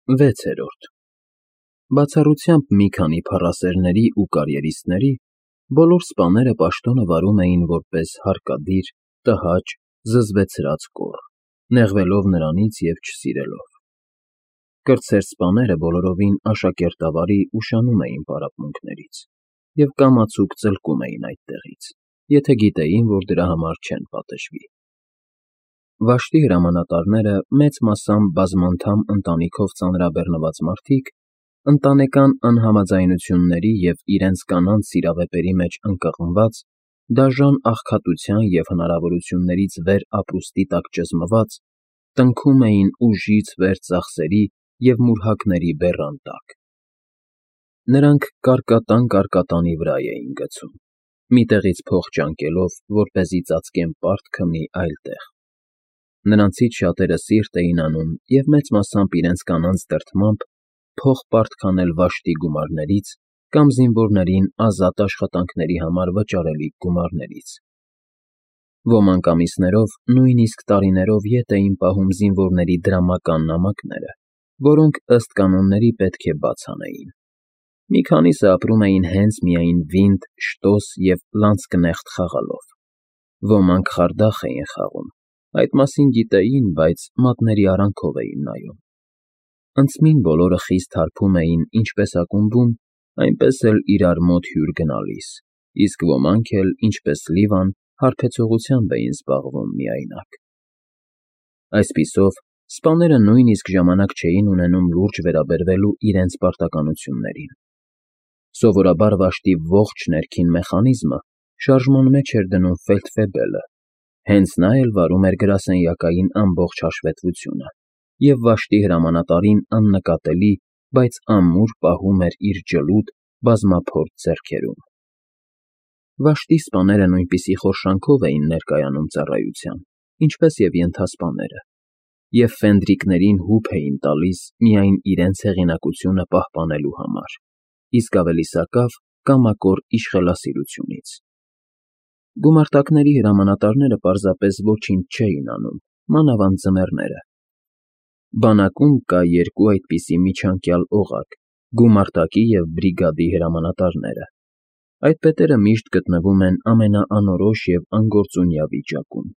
6-րդ Բացառությամբ մի քանի փառասերների ու կարիերիստների, բոլոր սպաները պաշտոնը վարում էին որպես հարկադիր, տհաճ, զզվեցրած կոռ, նեղվելով նրանից և չսիրելով։ Կրտսեր սպաները բոլորովին աշակերտավարի ուշանում էին պարապմունքներից և կամացուկ ծլկում էին այդտեղից, եթե գիտեին, որ դրա համար չեն պատժվի։ Վաշտի հրամանատարները մեծ մասամբ բազմանդամ ընտանիքով ծանրաբեռնված մարդիկ, ընտանեկան անհամաձայնությունների և իրենց կանանց սիրավեպերի մեջ ընկղմված, դաժան աղքատության և հնարավորություններից վեր ապրուստի տակ ճզմված, տնքում էին ուժից վեր ծախսերի և մուրհակների բեռան տակ։ Նրանք կարկատան֊կարկատանի վրա էին գցում, մի տեղից փող ճանկելով, որպեսզի ծածկեն պարտքը մի այլ տեղ։ Նրանցից շատերը սիրտ էին անում և մեծ մասամբ իրենց կանանց դրդմամբ փող պարտք անել Վաշտի գումարներից կամ զինվորներին ազատ աշխատանքների համար վճարելիք գումարներից։ Ոմանք ամիսներով, նույնիսկ տարիներով ետ էին պահում զինվորների դրամական նամակները, որոնք ըստ կանոնների պետք է բաց անեին։ Մի քանիսը ապրում էին հենց միայն վինդ, շտոս և լանցկնեղտ խաղալով։ Ոմանք խարդախ էին խաղում, այդ մասին գիտեին, բայց մատների արանքով էին նայում։ Ընծմին բոլորը խիստ հարբում էին ինչպես ակումբում, այնպես էլ իրար մոտ հյուր գնալիս, իսկ ոմանք էլ, ինչպես Լիվան, հարբեցողությամբ էին զբաղվում միայնակ։ Այսպիսով, սպաները նույնիսկ ժամանակ չէին ունենում լուրջ վերաբերվելու իրենց պարտականություններին։ Սովորաբար Վաշտի ողջ ներքին մեխանիզմը շարժման մեջ էր դնում ֆելդֆեբելը, հենց նա էլ վարում էր գրասենյակային ամբողջ հաշվետվությունը և Վաշտի հրամանատարին աննկատելի, բայց ամուր պահում էր իր ջլուդ, բազմափորձ ձեռքերում։ Վաշտի սպաները նույնպիսի խորշանքով էին ներկայանում ծառայության, ինչպես և ենթասպաները, և ֆենդրիկներին հուպ էին տալիս միայն իրենց հեղինակությունը պահպանելու համար, իսկ ավելի սակավ կամակոր իշխելասիրությունից։ Գումարտակների հրամանատարները պարզապես ոչինչ չէին անում, մանավանդ ձմեռները։ Բանակում կա երկու այդպիսի միջանկյալ օղակ՝ գումարտակի և բրիգադի հրամանատարները։ Այդ պետերը միշտ գտնվում են ամենաանորոշ և անգործունյա վիճակում։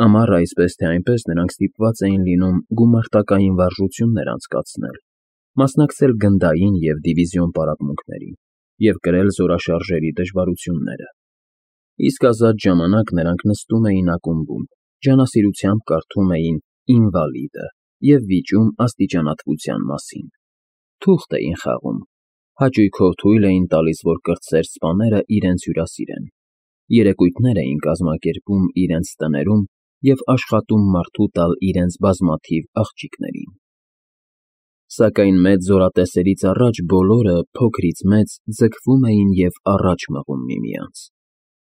Ամառը այսպես թե այնպես նրանք ստիպված էին լինում գումարտակային վարժություններ անցկացնել, մասնակցել գնդային և դիվիզիոն պարապմունքներին և կրել զորաշարժերի դժվարությունները։ Իսկ ազատ ժամանակ նրանք նստում էին ակումբում, ջանասիրությամբ կարդում էին «Ինվալիդը» և վիճում աստիճանատվության մասին։ Թուղթ էին խաղում, հաճույքով թույլ էին տալիս, որ կրտսեր սպաները իրենց հյուրասիրեն, երեկույթներ էին կազմակերպում իրենց տներում և աշխատում մարդու տալ իրենց բազմաթիվ աղջիկներին։ Սակայն մեծ զորատեսերից առաջ բոլորը, փոքրից մեծ, ձգվում էին և առաջ մղում միմյանց։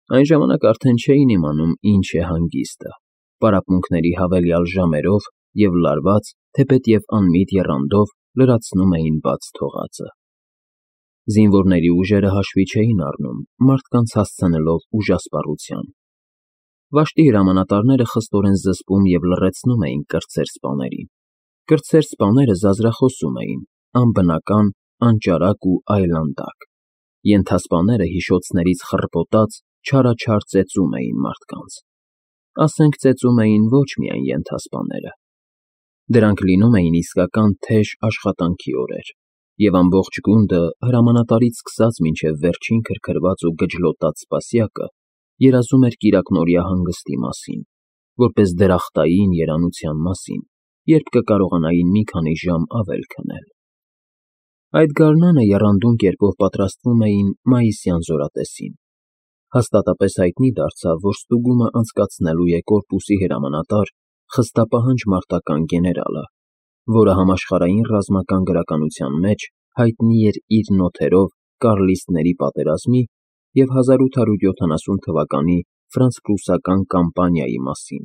Այն ժամանակ արդեն չէին իմանում ինչ է հանգիստը, պարապմունքների հավելյալ ժամերով և լարված, թեպետև անմիտ եռանդով լրացնում էին բաց թողածը։ Զինվորների ուժերը հաշվի չէին առնում, մարդկանց հասցնելով ուժասպառության։ Վաշտի հրամանատարները խստորեն զսպում և լռեցնում էին կրտսեր սպաներին։ Կրտսեր սպաները զազրախոսում էին, անբնական, անճարակ ու այլանդակ։ Ենթասպաները հիշոցներից խռպոտած չարաչար ծեծում էին մարդկանց։ Ասենք ծեծում էին ոչ միայն ենթասպաները։ Դրանք լինում էին իսկական թեժ աշխատանքի օրեր, և ամբողջ գունդը, հրամանատարից սկսած մինչև վերջին քրքրված ու գջլոտած սպասյակը, երազում էր կիրակնօրյա հանգստի մասին, որպես դրախտային երանության մասին, երբ կկարողանային մի քանի ժամ ավել քնել։ Այդ գարնանը եռանդուն կերպով պատրաստվում էին մայիսյան զորատեսին։ Հաստատապես հայտնի դարձավ, որ ստուգումը անցկացնելու է կորպուսի հրամանատար, խստապահանջ մարտական գեներալը, որը համաշխարհային ռազմական գրականության մեջ հայտնի էր իր նոթերով Կարլիստների պատերազմի և 1870 թվականի ֆրանց֊պրուսական կամպանիայի մասին,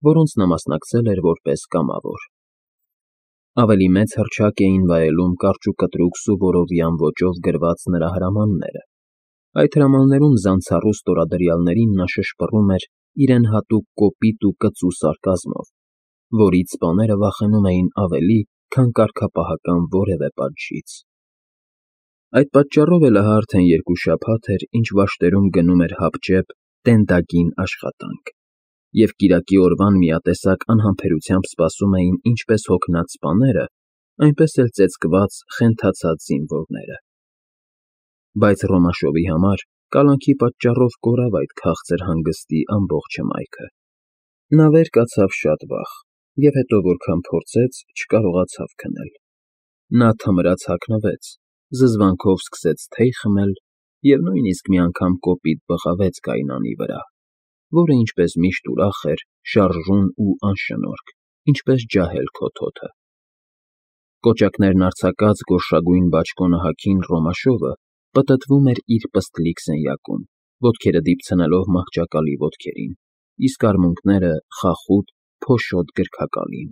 որոնց նա մասնակցել էր որպես կամավոր։ Ավելի մեծ հռչակ էին վայելում կարճուկտրուկ Սուվորովյան ոճով գրված նրա հրամանները։ Այդ հրամաններում զանցառու ստորադրյալներին նա շշպռում էր իրեն հատուկ կոպիտ ու կծու սարկազմով, որից սպաները վախենում էին ավելի, քան կարգապահական որևէ պատժից։ Այդ պատճառով էլ ահա արդեն 2 շաբաթ էր, ինչ Վաշտերում գնում էր հապճեպ տենդագին աշխատանք, և կիրակի օրվան միատեսակ անհամբերությամբ սպասում էին ինչպես հոգնած սպաները, այնպես էլ ծեծկված, խենթացած զինվորները։ Բայց Ռոմաշովի համար կալանքի պատճառով կորավ այդ քաղցր հանգստի ամբողջ հմայքը։ Նա վեր կացավ շատ վաղ, և հետո որքան փորձեց, չկարողացավ քնել։ Նա թմրած հագնվեց, զզվանքով սկսեց թեյ խմել և նույնիսկ մի անգամ կոպիտ բղավեց գայնանի վրա, որը ինչպես միշտ ուրախ էր, շարժուն ու անշնորհք, ինչպես ջահել քոթոթը։ Կոճակներն արձակած գորշագույն բաճկոնը հագին Ռոմաշովը պտտվում էր իր պստլիկ սենյակում, ոտքերը դիպցնելով մահճակալի ոտքերին, իսկ արմունկները խախուտ, փոշոտ գրքակալին։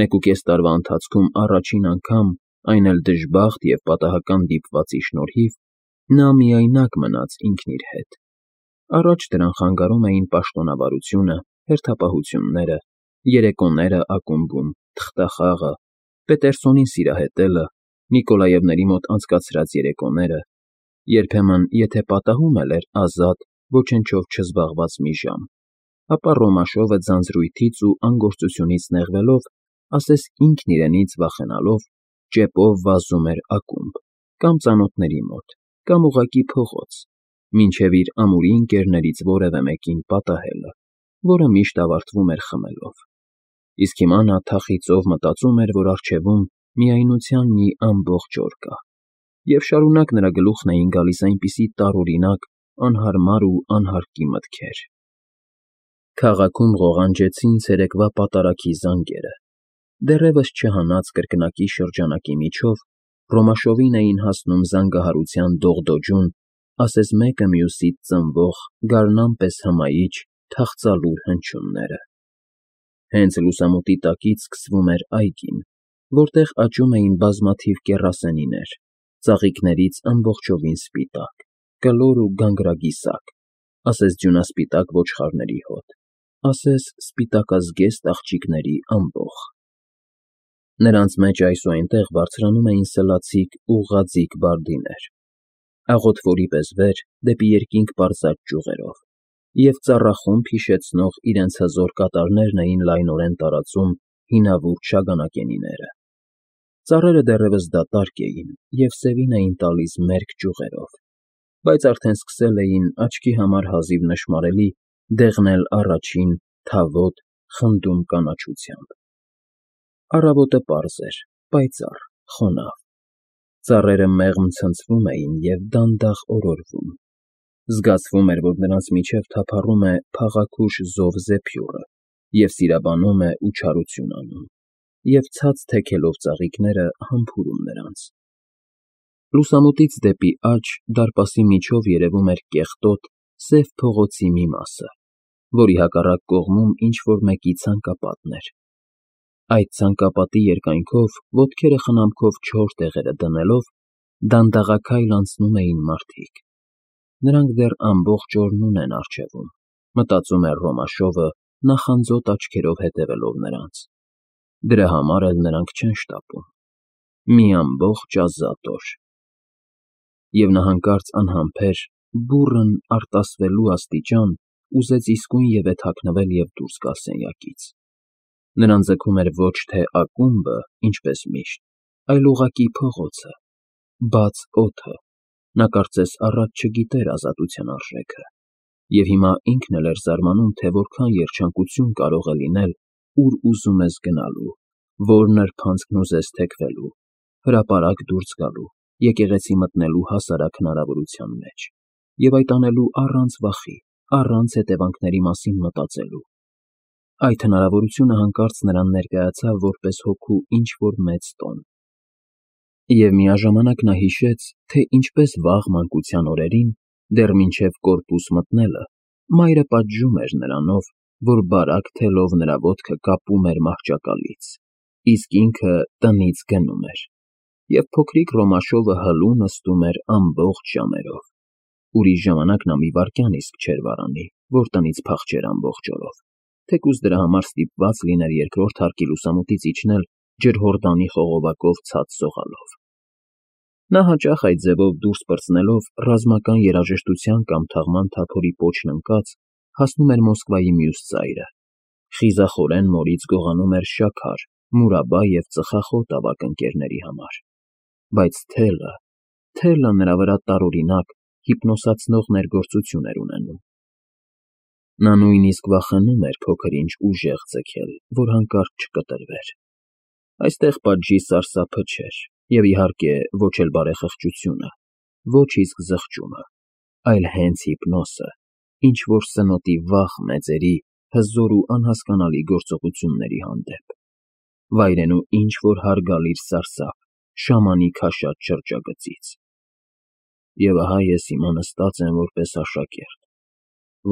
1.5 տարվա ընթացքում առաջին անգամ, այն էլ դժբախտ և պատահական դիպվածի շնորհիվ, նա միայնակ մնաց ինքն իր հետ։ Առաջ դրան խանգարում էին պաշտոնավարությունը, հերթապահությունները, երեկոները ակումբում, թղթախաղը, Պետերսոնին սիրահետելը, Նիկոլաևների մոտ անցկացրած երեկոները, երբեմն, եթե պատահում էլ էր ազատ, ոչնչով չզբաղված մի ժամ, ապա Ռոմաշովը ձանձրույթից ու անգործությունից նեղվելով, ասես ինքն իրենից վախենալով, ճեպով վազում էր ակումբ, կամ ծանոթների մոտ, կամ ուղղակի փողոց, մինչև իր ամուրի ընկերներից որևէ մեկին պատահելը, որը միշտ ավարտվում էր խմելով։ Իսկ հիմա նա թախիծով մտածում էր, որ առջևում միայնության մի ամբողջ օր կա, և շարունակ նրա գլուխն էին գալիս այնպիսի տարօրինակ, անհարմար ու անհարկի մտքեր։ Քաղաքում ղողանջեցին ցերեկվա պատարագի զանգերը։ Դեռևս չհանած կրկնակի շրջանակի միջով Ռոմաշովին էին հասնում զանգահարության դողդոջուն, ասես մեկը մյուսից ծնվող, գարնան պես հմայիչ, թախծալուր հնչյունները։ Հենց լուսամուտի տակից սկսվում էր այգին, որտեղ աճում էին բազմաթիվ կեռասենիներ, ծաղիկներից ամբողջովին սպիտակ, կլոր ու գանգրագիսակ, ասես ձյունասպիտակ ոչխարների հոտ, ասես սպիտակազգեստ աղջիկների ամբոխ։ Նրանց մեջ այս ու այնտեղ բարձրանում էին սլացիկ ու ղաձիկ բարդիներ, աղոթվորի պես վեր դեպի երկինք պարզած ճյուղերով, և ծառախումբ հիշեցնող իրենց հզոր կատարներն էին լայնորեն տարածում հինավուրց շագանակենիները։ Ծառերը դեռևս դատարկ էին և սևին էին տալիս մերկ ճյուղերով, բայց արդեն սկսել էին աչքի համար հազիվ նշմարելի դեղնել առաջին, թավոտ, խնդում կանաչությամբ։ Առավոտը պարզ էր, պայծառ, խոնավ։ Ծառերը մեղմ ցնցվում էին և դանդաղ օրորվում։ Զգացվում էր, որ նրանց միջև թափառում է փաղաքուշ զով զեփյուռը և սիրաբանում է ու չարություն անում, և ցած թեքելով ծաղիկները համբուրում նրանց։ Լուսամուտից դեպի աջ դարպասի միջով երևում էր կեղտոտ, սև փողոցի մի մասը, որի հակառակ կողմում ինչ֊որ մեկի ցանկապատն էր։ Այդ ցանկապատի երկայնքով, ոտքերը խնամքով չոր տեղերը դնելով, դանդաղաքայլ անցնում էին մարդիկ։ Նրանք դեռ ամբողջ օրն ունեն առջևում, մտածում էր Ռոմաշովը, նախանձոտ աչքերով հետևելով նրանց։ Դրա համար էլ նրանք չեն շտապում։ Մի ամբողջ ազատ օր։ Եվ նա հանկարծ անհամբեր, բուռն, արտասվելու աստիճան ուզեց իսկույնևեթ հագնվել և դուրս գալ սենյակից։ Նրան ձգում էր ոչ թե ակումբը, ինչպես միշտ, այլ ուղղակի փողոցը, բաց օդը։ Նա կարծես առաջ չգիտեր ազատության արժեքը, և հիմա ինքն էլ էր զարմանում, թե որքան երջանկություն կարող է լինել, ուր ուզում ես գնալու, որ նրբանցքն ուզես թեքվելու, հրապարակ դուրս գալու, եկեղեցի մտնելու հասարակ հնարավորության մեջ, և այդ անելու առանց վախի, առանց հետևանքների մասին մտածելու։ Այդ հնարավորությունը հանկարծ նրան ներկայացավ որպես հոգու ինչ֊որ մեծ տոն։ Եվ միաժամանակ նա հիշեց, թե ինչպես վաղ մանկության օրերին, դեռ մինչև կորպուս մտնելը, մայրը պատժում էր նրանով, որ բարակ թելով նրա ոտքը կապում էր մահճակալից, իսկ ինքը տնից գնում էր, և փոքրիկ Ռոմաշովը հլու նստում էր ամբողջ ժամերով։ Ուրիշ ժամանակ նա մի վայրկյան իսկ չէր վարանի, որ տնից փախչեր ամբողջ օրով, թեկուզ դրա համար ստիպված լիներ երկրորդ հարկի լուսամուտից իջնել ջրհորդանի խողովակով ցած սողալով։ Նա հաճախ այդ ձևով դուրս պրծնելով ռազմական երաժշտության կամ թաղման թափորի պոչն ընկած հասնում էր Մոսկվայի մյուս ծայրը, խիզախորեն մորից գողանում էր շաքար, մուրաբա և ծխախոտ ավագ ընկերների համար, բայց թելը նրա վրա տարօրինակ, հիպնոսացնող ներգործություն էր ունենում։ Նա նույնիսկ վախենում էր փոքր-ինչ ուժեղ ձգել, որ հանկարծ չկտրվեր։ Այստեղ պատժի սարսափը չէր, և, իհարկե, ոչ էլ բարեխղճությունը, ոչ իսկ զղջումը, այլ հենց հիպնոսը, ինչ-որ սնոտի վախ մեծերի, հզոր ու անհասկանալի գործողությունների հանդեպ, վայրենու ինչ-որ հարգալից սարսափ, շամանի քաշած շրջագծից։ Եվ ահա ես հիմա նստած եմ որպես աշակերտ,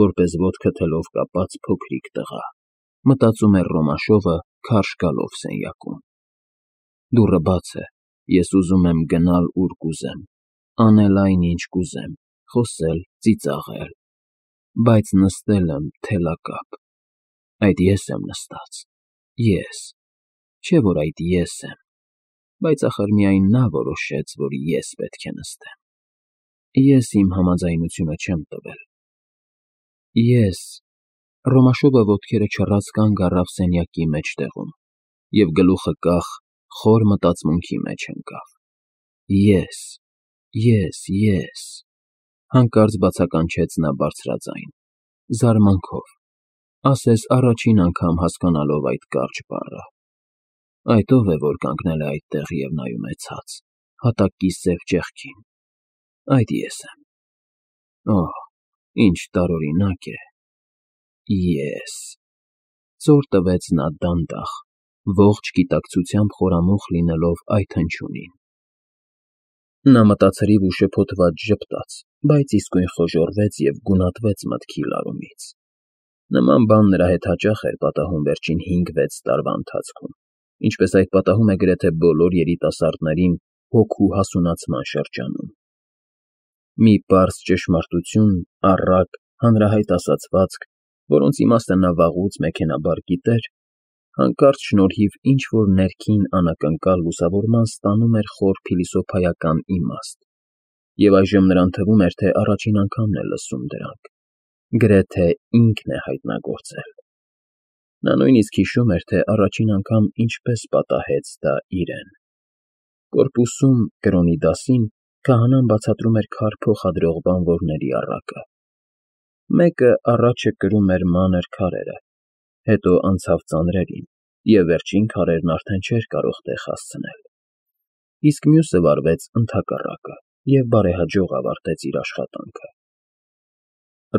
որպես ոտքը թելով կապած փոքրիկ տղա, մտածում էր Ռոմաշովը քարշ գալով սենյակում։ Դուռը բաց է, ես ուզում եմ գնալ ուր կուզեմ, անել այն, ինչ կուզեմ, խոսել, ծիծաղել, բայց նստել եմ թելակապ։ Այդ ես եմ նստած, ես, չէ՞ որ այդ ես եմ, բայց ախր միայն նա որոշեց, որ ես պետք է նստեմ։ Ես իմ համաձայնությունը չեմ տվել։ Ես… Ռոմաշովը ոտքերը չռած կանգ առավ սենյակի մեջտեղում և գլուխը կախ, խոր մտածմունքի մեջ ընկավ։ Ես… Հանկարծ բացականչեց նա բարձրաձայն, զարմանքով, ասես առաջին անգամ հասկանալով այդ կարճ բառը։ Այդ ո՞վ է, որ կանգնել է այդտեղ և նայում է ցած, հատակի սև ճեղքին։ Այդ ես եմ։ Օհ, ինչ տարօրինակ է… Ես… Ծոր տվեց նա դանդաղ, ողջ գիտակցությամբ խորամուխ լինելով այդ հնչյունին։ Նա մտածրիվ ու շփոթված ժպտաց, բայց իսկույն խոժոռվեց և գունատվեց մտքի լարումից։ Նման բան նրա հետ հաճախ էր պատահում վերջին 5-6 տարվա ընթացքում, ինչպես այդ պատահում է գրեթե բոլոր երիտասարդներին հոգու հասունացման շրջանում։ Մի պարզ ճշմարտություն, առակ, հանրահայտ ասացվածք, որոնց իմաստը նա վաղուց մեքենաբար գիտեր, հանկարծ շնորհիվ ինչ֊որ ներքին անակնկալ լուսավորման ստանում էր խոր փիլիսոփայական իմաստ, և այժմ նրան թվում էր, թե առաջին անգամն է լսում դրանք, գրեթե ինքն է հայտնագործել։ Նա նույնիսկ հիշում էր, թե առաջին անգամ ինչպես պատահեց դա իրեն։ Կորպուսում, կրոնի դասին քահանան բացատրում էր քար փոխադրող բանվորների առակը։ Մեկը առաջը կրում էր մանր քարերը, հետո անցավ ծանրերին, և վերջին քարերն արդեն չէր կարող տեղ հասցնել։ Իսկ մյուսը վարվեց ընդհակառակը և բարեհաջող ավարտեց իր աշխատանքը։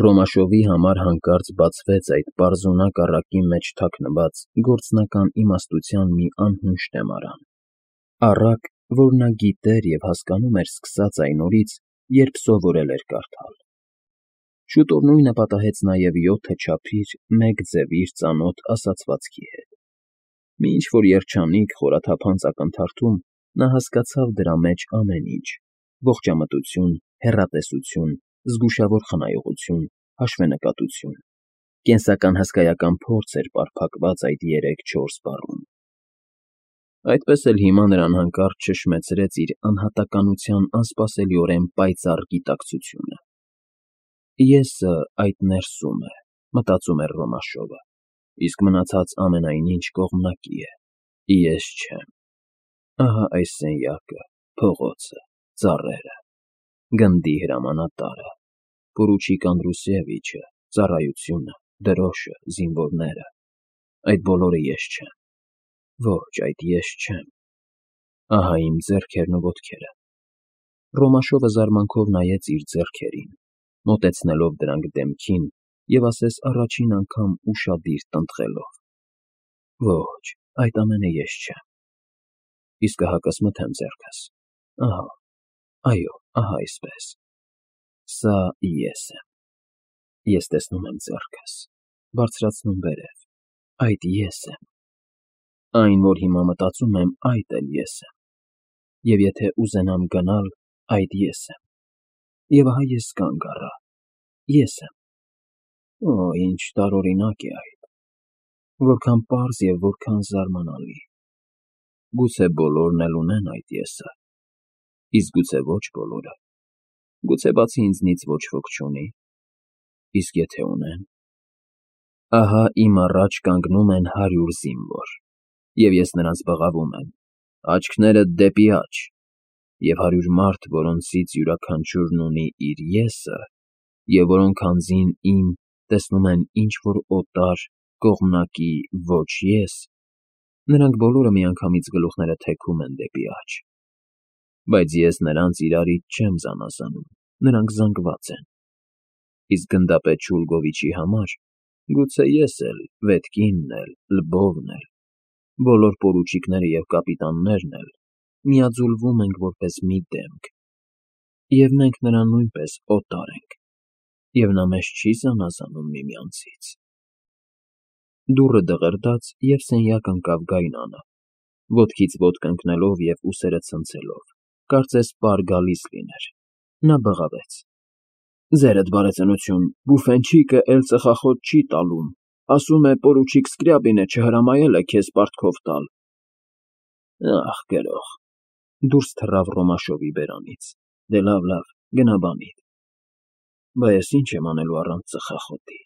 Ռոմաշովի համար հանկարծ բացվեց այդ պարզունակ առակի մեջ թաքնված գործնական իմաստության մի անհունչ տեմարան, առակ, որ նա գիտեր և հասկանում էր սկսած այն օրից, երբ սովորել էր կարդալ։ Շուտով նույնը պատահեց նաև 7 չափիր, 1 ձևիր ծանոթ ասացվածքի հետ։ Մի ինչ֊որ երջանիկ, խորաթափանց ակնթարթում նա հասկացավ դրա մեջ ամեն ինչ՝ ողջամտություն, հեռատեսություն, զգուշավոր խնայողություն, հաշվենկատություն, կենսական հսկայական փորձ էր պարփակված այդ 3-4 բառում։ Այդպես էլ հիմա նրան հանկարծ չշմեցրեց իր անհատականության անսպասելիորեն պայծառ գիտակցությունը։ Եսը այդ ներսում է, մտածում էր Ռոմաշովը, իսկ մնացած ամենայն ինչ կողմնակի է։ Ես չեմ։ Ահա այս սենյակը, փողոցը, ծառերը, գնդի հրամանատարը, պորուչիկ Անդրուսևիչը, ծառայությունը, դրոշը, զինվորները… Այդ բոլորը ես չեմ։ Ոչ, այդ ես չեմ։ Ահա իմ ձեռքերն ու ոտքերը… Ռոմաշովը զարմանքով նայեց իր ձեռքերին, մոտեցնելով դրանք դեմքին և ասես առաջին անգամ ուշադիր տնտղելով. Ոչ, այդ ամենը ես չեմ։ Իսկ ահա կսմթեմ ձեռքս… Ահա, այո, ահա այսպես… Սա ես եմ։ Ես տեսնում եմ ձեռքս, բարձրացնում վերև… Այդ ես եմ։ Այն, որ հիմա մտածում եմ, այդ էլ ես եմ։ Եվ եթե ուզենամ գնալ, այդ ես եմ։ Եվ ահա ես կանգ առա… Ես եմ… Օ, ինչ տարօրինակ է այդ… Որքան պարզ և որքան զարմանալի… Գուցե բոլորն էլ ունեն այդ «ես»֊ը, իսկ գուցե ոչ բոլորը, գուցե բացի ինձնից ոչ ոք չունի, իսկ եթե ունեն… Ահա իմ առաջ կանգնում են 100 զինվոր, և ես նրանց բղավում եմ, աչքներդ դեպի աջ, և 100 մարդ, որոնցից յուրաքանչյուրն ունի իր «ես»֊ը, և որոնք անձին իմ տեսնում են ինչ֊որ օտար, կողմնակի ոչ «ես», նրանք բոլորը միանգամից գլուխները թեքում են դեպի աջ, բայց ես նրանց իրարից չեմ զանազանում, նրանք զանգված են, իսկ գնդապետ Շուլգովիչի համար գուցե ես էլ, Վետկինն էլ, Լվովն էլ, բոլոր պորուչիկները և կապիտաններն էլ միաձուլվում ենք որպես մի դեմք, և մենք նրան նույնպես օտար ենք, և նա մեզ չի զանազանում միմյանցից… Դուռը դղրդաց, և սենյակ ընկավ Գայնանը, ոտքից ոտք ընկնելով և ուսերը ցնցելով, կարծես պար գալիս լիներ, նա բղավեց. «Ձերդ բարեծնություն, բուֆետչիկը էլ ծխախոտ չի տալում, ասում է պորուչիկ Սկրյաբինը չհրամայել է քեզ պարտքով տալ»… Ախ, գրող… Դուրս թռավ Ռոմաշովի բերանից, դե լավ, գնա բանիդ… Բա ես ինչ եմ անելու առանց ծխախոտի…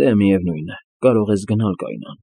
Դե, միևնույն է, կարող ես գնալ, Գայնան,